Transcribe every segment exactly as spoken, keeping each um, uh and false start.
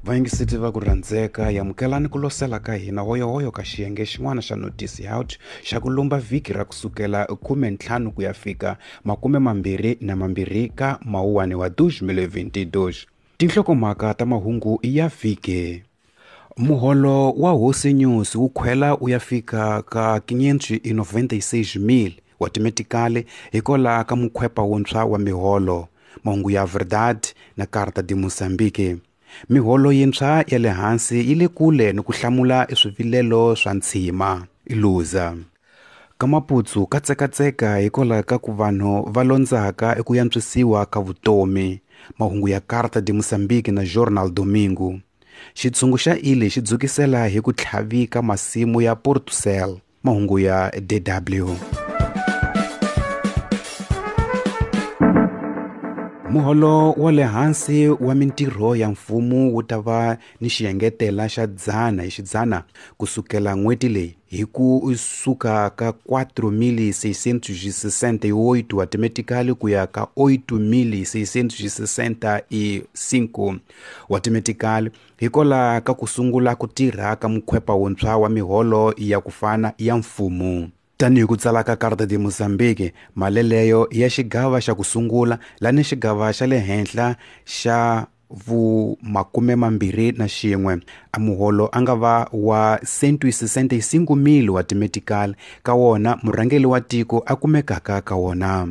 Vayingiseti va ku rhandzeka, yamukelani ku losela ka hina hoyohoyo ka xiyenge xin'wana xa Notice Out xa ku lumba vhiki ra kusukela khume ntlhanu ku ya fika makume mambirhi na mambirhi ka Mawuwani wa deux mille vingt-deux. Tinhlokomhaka ta mahungu ya vhiki. Muholo wa Hosi News wu khwela wu ya fika ka quinhentos e noventa e seis mil wa timetikali hikwalaho ka mukhwepa wuntshwa wa miholo. Mahungu ya Verdade na Carta de Moçambique. Miholo yintshwa ya le hansi yi le kule ni ku hlamula swivilelo swa ntshima. Iluza. Ka Maputsu ka tsekatseka hikwalaho ka ku vanhu va londzaka eku antswisiwa ka vutomi. Mahungu ya Carta de Moçambique na Jornal Domingo. Xitshungu xa Ile xi dzukisela hi ku tlhavika masimu ya Portucel. Mahungu ya D W. Muholo wa le hansi wa mintirho ya mfumo wu ta va ni xiengetela xa dzana hi xidzana kusukela n'hweti leyi hi ku suka ka quatro mil seiscentos e sessenta e oito wa timetikali ku ya ka oito mil seiscentos e sessenta e cinco wa timetikali hikwalaho ka ku sungula ku tirha ka mukhwepa wuntshwa wa miholo ya ku fana ya mfumo. Tanihi ku tsala ka Carta de Moçambique, maleleyo ya xigava xa ku sungula lani xigava xa le henhla xa vu makume mambirhi na xin'we a muholo a nga va wa cento e sessenta e cinco mil wa timetikali ka wona murhangeri wa tiko a kumekaka ka wona.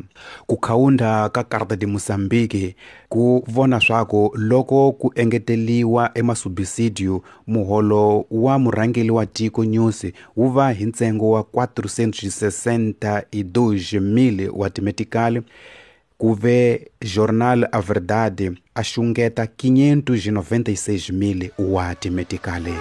Ku khawunda ka Carta de Moçambique ku vona swaku loko ku engeteliwa emasubisidio muholo wa murhangeri wa tiko News wu va hi ntsengo wa quatrocentos e sessenta e dois mil wa timetikali ku ve Jornal A Verdade a xungeta quinhentos e noventa e seis mil wa timetikali.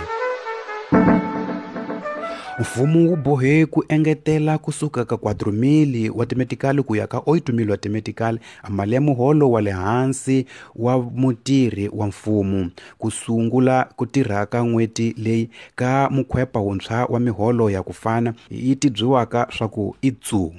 Mfumo wu bohe ku engetela kusuka ka quatro mil wa timetikali ku ya ka oito mil wa timetikali a mali ya muholo wa le hansi wa mutirhi wa mfumo ku sungula ku tirha ka n'hweti leyi ka mukhwepa wuntshwa wa miholo ya ku fana yi tibyiwaka swa ku i tsu.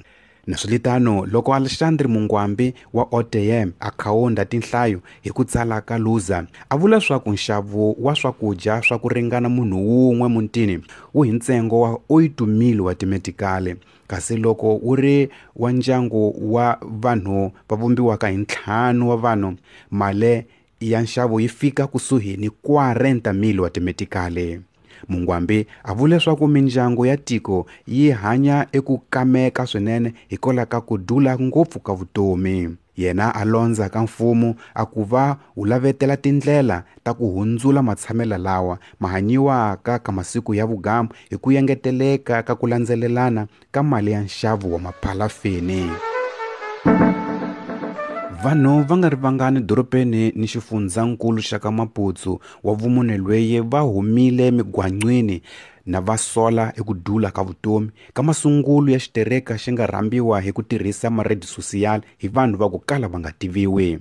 Naswilitano loko Alexandre Mungwambi wa O T M a khawunda tinhlayo hi ku tsala ka Luza a vula swa ku nxavo wa swakudya swa ku ringana munhu wun'we mutini wu hi ntsengo wa oito mil wa timetikali kasi loko wu ri wa ndyangu wa vanhu va vumbiwaka hi ntlhanu wa vanhu mali ya nxavo yi fika kusuhi ni quarenta mil wa timetikali. Mungwambi a vula leswaku mindyangu ya tiko yi hanya eku kameka swinene hikwalaho ka ku dula ngopfu ka vutomi. Yena a londza ka mfumo a ku va wu lavetela tindlela ta ku hundzula matshamelo lawa mahanyiwaka ka masiku ya vugamu hi ku engeteleka ka ku landzelelana ka mali ya nxavo wa maphalafini. Vanhu va nga ri vangani dorobeni ni xifundzankulu xa ka Maputsu wa vumune lweye va humile migwaqweni na va sola eku dula ka vutomi ka masungulo ya xitereka xi nga rhambiwa hi ku tirhisa maredi social hi vanhu va ku kala va nga tiviwi.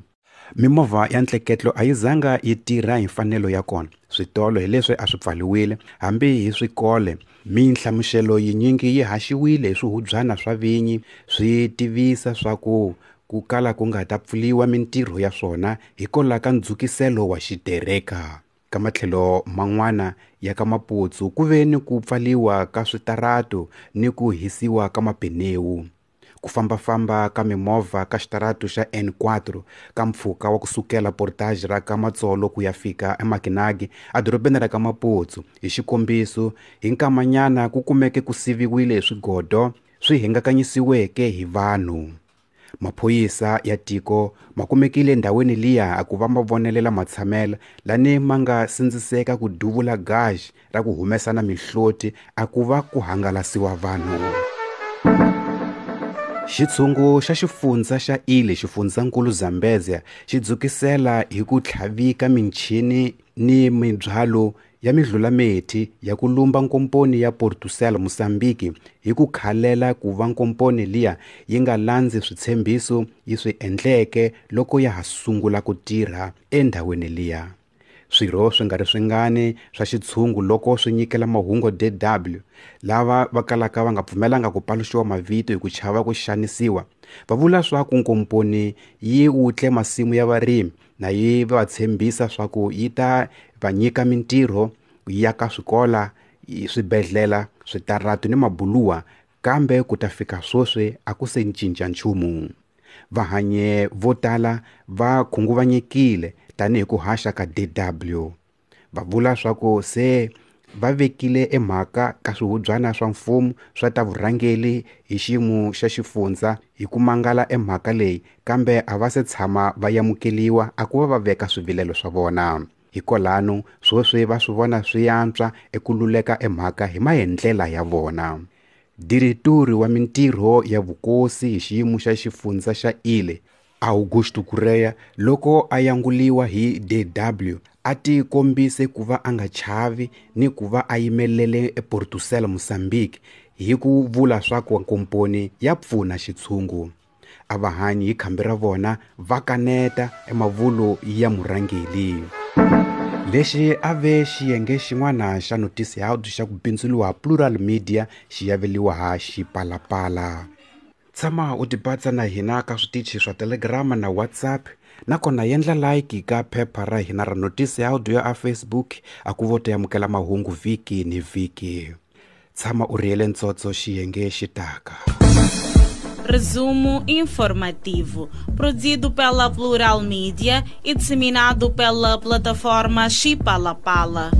Mimovha ya ntleketlo a yi zanga yi tirha hi mfanelo ya kona. Switolo hi leswi a swi pfaliwile hambi hi swikole. Minhlamuselo yinyingi yi haxiwile hi swihubyana swa vinyi swi tivisa swa ku ku kala ku nga ta pfuliwa mintirho ya swona hikwalaho ka ndzukiselo wa xitereka. Ka matlhelo man'wana ya ka Maputsu ku ve ni ku pfaliwa ka switaratu ni ku hisiwa ka mapenewu. Ku fambafamba ka mimovha ka xitaratu xa N quatro ka mpfhuka wa kusukela Portage ra ka Matsolo ku ya fika eMakinagi edorobeni ra ka Maputsu hi xikombiso hi nkamanyana ku kumeke ku siviwile hi swigodo swi hingakanyisiweke hi vanhu. Maphorisa ya tiko ma kumekile endhawini liya a ku va ma vonelela matshamelo lani ma nga sindziseka ku duvula gaji ra ku humesa na mihloti a ku va ku hangalasiwa vanhu. Xitshungu xa xifundza xa Ile xifundzankulu Zambezia xi dzukisela hi ku tlhavika michini ni mindzhwalo ya midlulamethi ya ku lumba nkomponi ya Portucel Mozambique hi ku khalela ku va nkomponi liya yi nga landzi switshembiso yi swi endleke loko ya ha sungula ku tirha endhawini liya. Swirho swi nga ri swingani swa xitshungu loko swi nyikela mahungu D W lava va kalaka va nga pfumelanga ku paluxiwa mavito hi ku chava ku xanisiwa va vula swa ku nkomponi yi wutle masimu ya varimi na yi va tshembisa swa ku yi ta va nyika mintirho yi aka swikola, swibedhlela, switaratu ni mabuluwa, kambe ku ta fika sweswi a ku se cinca nchumu. Vahanye vo tala va khunguvanyekile tanihi ku haxa ka D W. Va vula swa ku se va vekile emhaka ka swihubyana swa mfumo swa ta vurhangeri hi xiyimo xa xifundza hi ku mangala emhaka leyi, kambe a va se tshama va amukeliwa a ku va va veka swivilelo swa vona. Hikwalano sweswi va swi vona swi antswa eku luleka emhaka hi maendlela ya vona. Diretori wa mintirho ya vukosi hi xiyimo xa xifundza xa Ile, Augusto Correa, loko a yanguliwa hi D W, a ti kombise ku va a nga chavi ni ku va a yimelele ePortucel Mozambique hi ku vula swa ku komponi ya pfuna xitshungu. A va hanyi hi khambi ra vona va kaneta emavulo ya murhangeri. Lexi a ve xiyenge xin'wana xa noticiado xa ku bindzuriwa Plural Media xi yaveliwa ha Xipalapala. Tshama u tibatsa na hina ka switichi swa Telegram na WhatsApp, nakona yendla like ka phepha ra hina ra noticiado ya a Facebook a ku vo ta amukela mahungu vhiki ni vhiki. Tshama u rhiyele ntsotso xiyenge xi taka. Resumo informativo, produzido pela Plural Media e disseminado pela plataforma Xipalapala.